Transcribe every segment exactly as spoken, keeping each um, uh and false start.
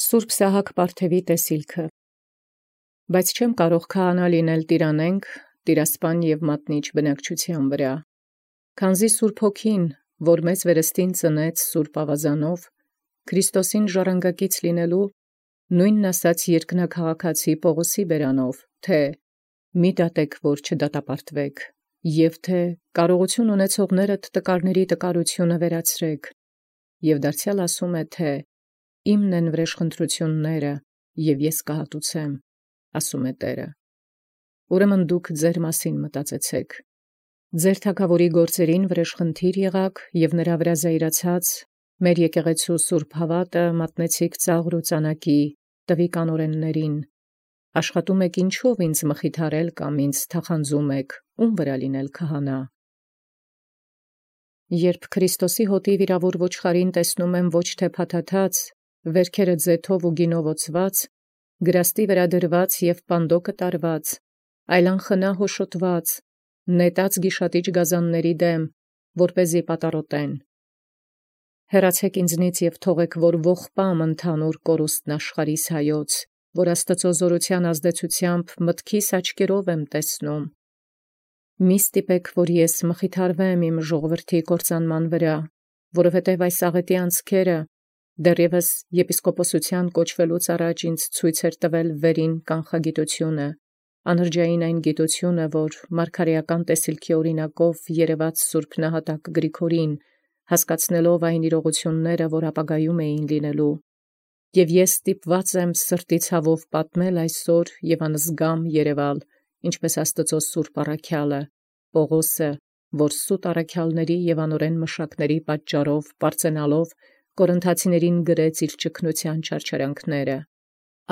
Սուրբ Սահակ Պարթևի տեսիլքը։ Բայց չեմ կարող քահանա լինել տիրանենք, տիրասպան և մատնիչ բնակչության վրա, քանզի Սուրբ Հոգին, որ մեզ վերստին ծնեց Սուրբ Ավազանով, Քրիստոսին ժառանգակից լինելու, նույնն ասած երկնաքաղաքացի Պողոսի բերանով, թե մի դատեք, որ չդատապարտվեք, և թե կարողություն ունեցողներդ տկարների տկարությունը վերացրեք, և դարձյալ ասում է, թե իմն են վրեժխնդրությունները, և ես կհատուցեմ, ասում է Տերը։ Ուրեմն դուք ձեր մասին մտածեցեք, ձեր թագավորի գործերին վրեժխնդիր եղաք, և նրա վրա զայրացած, մեր եկեղեցու սուրբ հավատը մատնեցիք ծաղր ու ծանակի, տվի կանորեններին, աշխատում եք ինչով ինձ մխիթարել կամ ինձ թախանձում եք, ում վրա լինել քահանա։ Երբ Քրիստոսի հոտի վիրավոր ոչխարին տեսնում եմ ոչ թե փաթաթած, վերքերը ձեթով ու գինով օծված, գրաստի վրա դրված և պանդոկը տարված, այլ անխնա հոշոտված, նետած գիշատիչ գազանների դեմ, որպեսզի պատառոտեն։ Հեռացեք ինձնից և թողեք, որ ողբամ ընդհանուր կորուստն աշխարհիս հայոց, որ Աստծո զորության ազդեցությամբ մտքիս աչքերով եմ տեսնում։ Մի ստիպեք, որ ես մխիթարվեմ իմ ժողովրդի կործանման վրա, որովհետև այս աղետի անցքերը դեռևս եպիսկոպոսության կոչվելուց առաջ ինձ ցույց էր տվել վերին կանխագիտությունը, անրջային այն գիտությունը, որ մարգարեական տեսիլքի օրինակով երևաց Սուրբ Նահատակ Գրիգորին, հասկացնելով այն իրողությունները, որ ապագայում էին լինելու, և ես ստիպված եմ սրտի ցավով պատմել այսօր և անզգամ երևալ, ինչպես Աստծո սուրբ առաքյալը, Պողոսը, որ սուտ առաքյալների և անօրեն մշակների պատճառով պարծենալով Կորինթացիներին գրեց իր ճգնության չարչարանքները։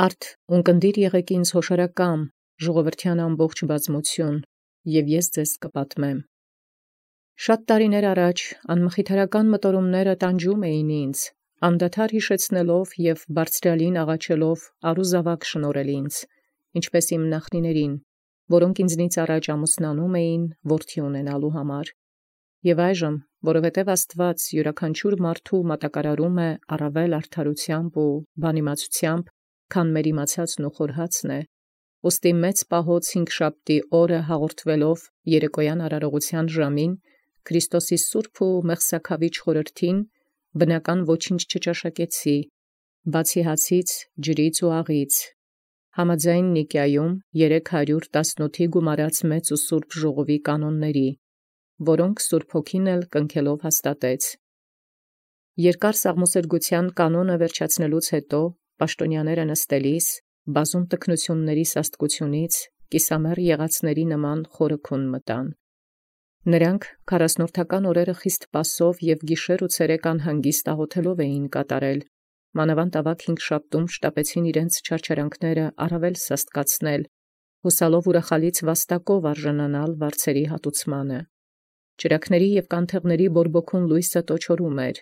Արդ ունկնդիր եղեք ինձ հոշարակամ, ժողովրդյան ամբողջ բազմություն, և ես ձեզ կպատմեմ։ Շատ տարիներ առաջ անմխիթարական մտորումները տանջում էին ինձ, անդադար հիշեցնելով և բարձրյալին աղաչելով առուզավակ շնորհել ինձ, ինչպես իմ նախնիներին, որոնք ինձնից առաջ ամուսնանում էին որդի ունենալու համար։ Եվ այժմ, որովհետև Աստված յուրաքանչյուր մարդու մատակարարում է առավել արդարությամբ ու բանիմացությամբ, քան մեր իմացածն ու խորհածն է, ուստի մեծ պահոց հինգշաբթի օրը հաղորդվելով երեկոյան արարողության ժամին, Քրիստոսի սուրբ ու մեղսաքավիճ խորհրդին, բնական ոչինչ չճաշակեցի, բացի հացից, ջրից ու աղից, համաձայն Նիկիայում երեք հարյուր տասնութի գումարած մեծ ու սուրբ ժողովի կանոնների, որոնք Սուրբ Հոգին էլ կնքելով հաստատեց։ Երկար սաղմոսերգության կանոնը վերջացնելուց հետո, պաշտոնյաները նստելիս, բազում տքնությունների սաստկությունից, կիսամեռ եղածների նման խորը քուն մտան։ Նրանք քառասնորդական օրերը խիստ պասով և գիշեր ու ցերեկ անհանգիստ աղոթելով էին կատարել, մանավանդ ավագ հինգշաբթում շտապեցին իրենց չարչարանքները առավել սաստկացնել, հուսալով ուրախալից վաստակով արժանանալ վարձերի հատուցմանը։ Ճրագների և կանթեղների բորբոքուն լույսը տոչորում էր,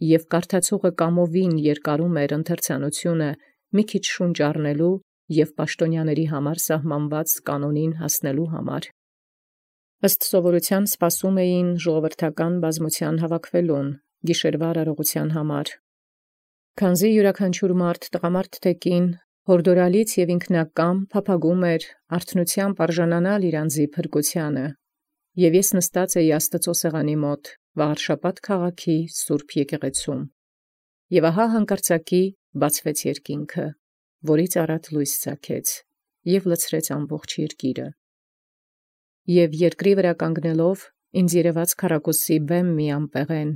և կարդացողը կամովին երկարում էր ընթերցանությունը մի քիչ շունչ առնելու և պաշտոնյաների համար սահմանված կանոնին հասնելու համար։ Ըստ սովորության սպասում էին ժողովրդական բազմության հավաքվելուն, գիշերվա արարողության համար։ Քանզի յուրաքանչյուր մարդ, տղամարդ թե կին, հորդորալից և ինքնակամ փափագում էր արթնությամբ արժանանալ իր անձի փրկությանը, և ես նստած էի Աստծո սեղանի մոտ, Վաղարշաբաթ քաղաքի սուրբ եկեղեցում, և ահա հանկարծակի բացվեց երկինքը, որից առատ լույս ծագեց, և լցրեց ամբողջ երկիրը։ Եվ երկրի վրա կանգնելով, ինձ երևաց քառակուսի բեմ մի ամպեղեն,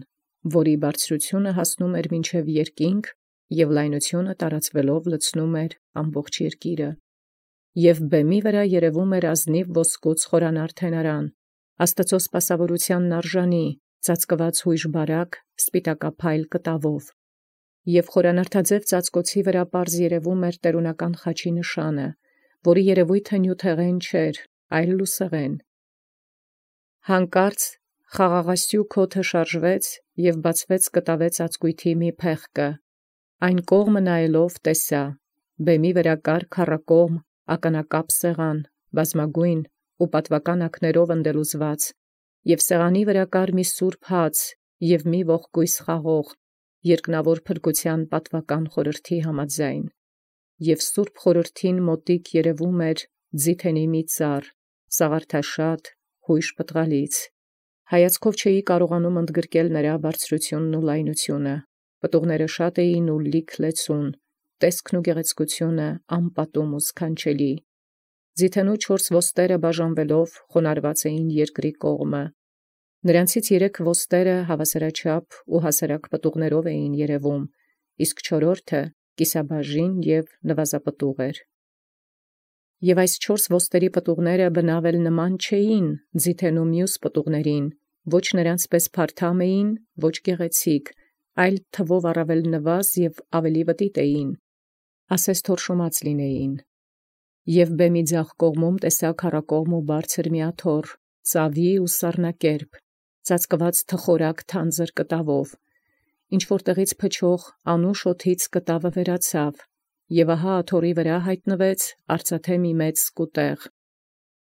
որի բարձրությունը հասնում էր մինչև երկինք, և լայնությունը տարածվելով լցնում էր ամբողջ երկիրը։ Եվ բեմի վրա երևում էր ազնիվ ոսկուց խորանար թենարան, Աստծո սպասավորությանն արժանի, ծածկված հույժ բարակ, սպիտակափայլ կտավով, և խորանարդաձև ծածկոցի վրա պարզ երևում էր տերունական խաչի նշանը, որի երևույթը նյութեղեն չէր, այլ լուսեղեն։ Հանկարծ խաղաղասյուք օդը շարժվեց և բացվեց կտավե ծածկույթի մի փեղկը, այն կողմը նայելով տեսա, բեմի վրա կար քառակողմ ականակապ սեղան, բազմագույն ու պատվական ակներով ընդելուզված, և սեղանի վրա կար մի սուրբ հաց և մի ողկույզ խաղող, երկնավոր փրկության պատվական խորհրդի համաձայն, և սուրբ խորհրդին մոտիկ երևում էր ձիթենի մի ծառ, սաղարթաշատ, հույժ պտղալից։ Հայացքով չէի կարողանում ընդգրկել նրա բարձրությունն ու լայնությունը, պտուղները շատ էին ու լիք լեցուն, տեսքն ու գեղեցկությունը անպատում ու սքանչելի։ Ձիթենու չորս ոստերը բաժանվելով խոնարհված էին երկրի կողմը։ Նրանցից երեք ոստերը հավասարաչափ ու հասարակ պտուղներով էին երևում, իսկ չորրորդը կիսաբաժին և նվազապտուղ էր։ Եվ այս չորս ոստերի պտուղները բնավ էլ նման չէին ձիթենու մյուս պտուղներին, ոչ նրանց պես փարթամ էին, ոչ գեղեցիկ, այլ թվով առավել նվազ և ավելի վտիտ էին, ասես թորշոմած լինեին։ Եվ բեմի ձախ կողմում տեսա քառակողմ ու բարձր մի աթոռ, ծավի ու սառնակերպ, ծածկված թխորակ թանձր կտավով, ինչ որ տեղից փչող անուշ օդից կտավը վերացավ, և ահա աթոռի վրա հայտնվեց արծաթե մի մեծ սկուտեղ։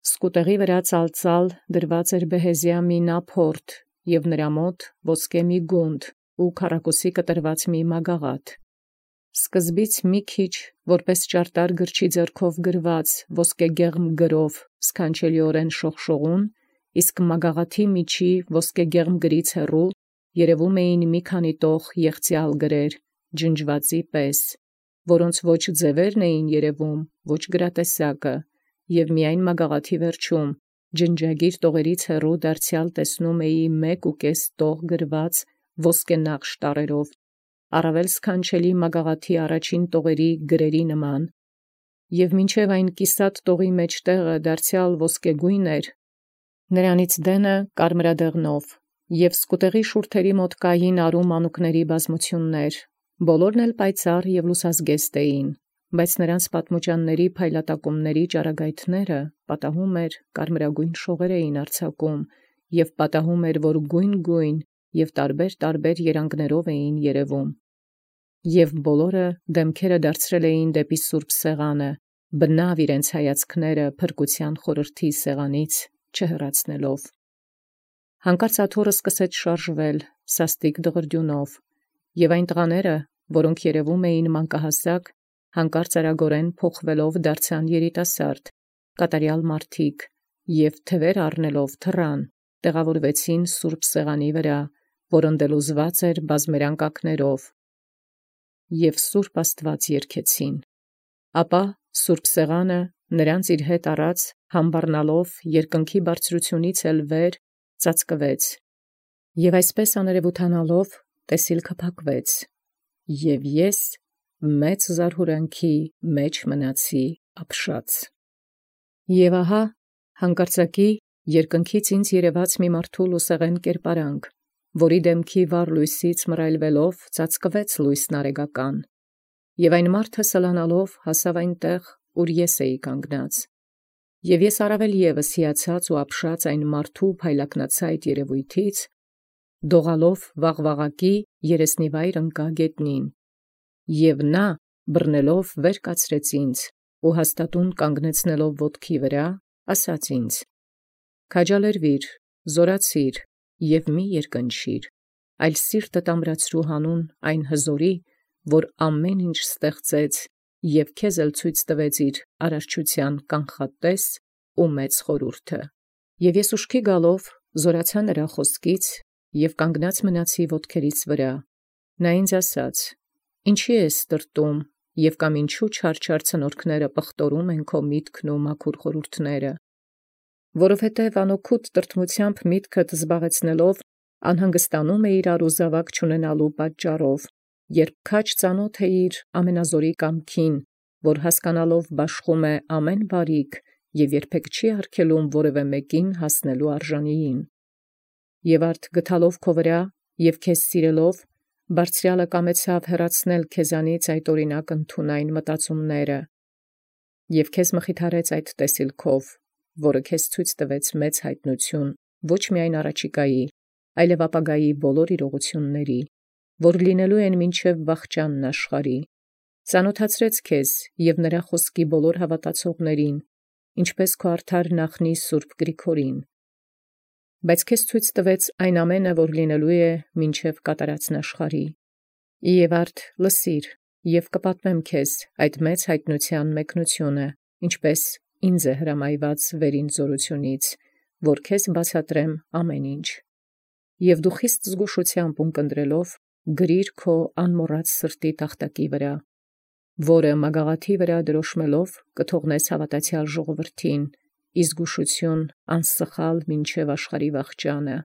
Սկուտեղի վրա ծալծալ դրված էր բեհեզիա մի նափորդ, և նրա մոտ ոսկե մի գունդ ու քառակուսի կտրված մի մագաղաթ։ Սկզբից մի քիչ որպես ճարտար գրչի ձեռքով գրված ոսկեգեղմ գրով սքանչելիորեն շողշողուն, իսկ մագաղաթի միջի ոսկեգեղմ գրից հեռու երևում էին մի քանի տող եղծյալ գրեր, ջնջվածի պես, որոնց ոչ ձևերն էին երևում, ոչ գրատեսակը, և միայն մագաղաթի վերջում, ջնջագիր տողերից հեռու դարձյալ տեսնում էի մեկ ու կես տող գրված ոսկենաղշ տառերով, առավել սքանչելի մագաղաթի առաջին տողերի գրերի նման, և մինչև այն կիսատ տողի մեջտեղը դարձյալ ոսկեգույն էր, նրանից դենը կարմրադեղնով, և սկուտեղի շուրթերի մոտ կային արու մանուկների բազմություններ, բոլորն էլ պայծառ և լուսազգեստ էին, բայց նրանց պատմուճանների փայլատակումների ճառագայթները պատահում էր կարմրագույն շողեր էին արձակում, և պատահում էր, որ գույն-գույն և տարբեր-տարբեր երանգներով էին երևում, և բոլորը դեմքերը դարձրել էին դեպի սուրբ սեղանը, բնավ իրենց հայացքները փրկության խորհրդի սեղանից չհեռացնելով։ Հանկարծ աթոռը սկսեց շարժվել սաստիկ դղրդյունով, և այն տղաները, որոնք երևում էին մանկահասակ, հանկարծ արագորեն փոխվելով դարձան երիտասարդ, կատարյալ մարդիկ, և թևեր առնելով թռան, տեղավորվեցին սուրբ սեղանի վրա, որն դելուզված էր բազմերանգակներով, և սուրբ Աստված երգեցին։ Ապա սուրբ սեղանը նրանց իր հետ առած համբառնալով երկնքի բարձրությունից էլ վեր ծածկվեց, և այսպես աներևութանալով տեսիլքը փակվեց, և ես մեծ զարհուրանքի մեջ մնացի ապշած։ Եվ ահա հանկարծակի երկնքից ինձ երևաց մի մարդու լուսեղեն կերպարանք, որի դեմքի վառ լույսից մռայլվելով ծածկվեց լույսն արեգական, և այն մարդը սլանալով հասավ այնտեղ, ուր ես էի կանգնած, և ես առավել ևս հիացած ու ապշած այն մարդու փայլակնացայտ երևույթից, դողալով վաղվաղակի երեսնիվայր ընկա գետնին, և նա բռնելով վեր կացրեց ինձ ու հաստատուն կանգնեցնելով ոտքի վրա, ասաց ինձ. «Քաջալերվիր, զորացիր և մի երկնչիր, այլ սիրտդ ամրացրու հանուն այն հզորի, որ ամեն ինչ ստեղծեց և քեզ էլ ցույց տվեց իր արարչության կանխատես ու մեծ խորհուրդը»։ Եվ ես ուշքի գալով զորացա նրա խոսքից և կանգնած մնացի ոտքերիս վրա։ Նա ինձ ասաց. «Ինչի ես տրտում, և կամ ինչու չարչար ցնորքները պղտորում են քո միտքն ու մաքուր խորհուրդները, որովհետև անօգուտ տրտմությամբ միտքդ զբաղեցնելով անհանգստանում էիր առուզավակ չունենալու պատճառով, երբ քաջ ծանոթ էիր ամենազորի կամքին, որ հասկանալով բաշխում է ամեն բարիք և երբեք չի արգելում որևէ մեկին հասնելու արժանիին։ Եվ արդ գտալով քո վրա և քեզ սիրելով, Բարձրյալը կամեցավ հեռացնել քեզանից այդ օրինակ ընդունայն մտածումները, և քեզ մխիթարեց այդ տեսիլքով, որը քեզ ցույց տվեց մեծ հայտնություն ոչ միայն առաջիկայի, այլև ապագայի բոլոր իրողությունների, որ լինելու են մինչև վախճանն աշխարհի, ծանոթացրեց քեզ և նրա խոսքի բոլոր հավատացողներին, ինչպես քո արդար նախնի Սուրբ Գրիգորին, բայց քեզ ցույց տվեց այն ամենը, որ լինելու է մինչև կատարածն աշխարհի, Եւ արդ լսիր, եւ կպատմեմ քեզ այդ մեծ յայտնութեան մեկնութիւնը, ինչպէս ինձ է հրամայված վերին զորութիւնից, որ քեզ բացատրեմ ամեն ինչ։ Եւ դու խիստ զգուշութեամբ ունկնդրելով գրիր քո անմոռաց սրտի տախտակի վրա, որը մագաղաթի վրա դրոշմելով կթողնես հաւատացեալ ժողովրդին, ի զգուշութիւն անսխալ մինչև աշխարհի վախճանը։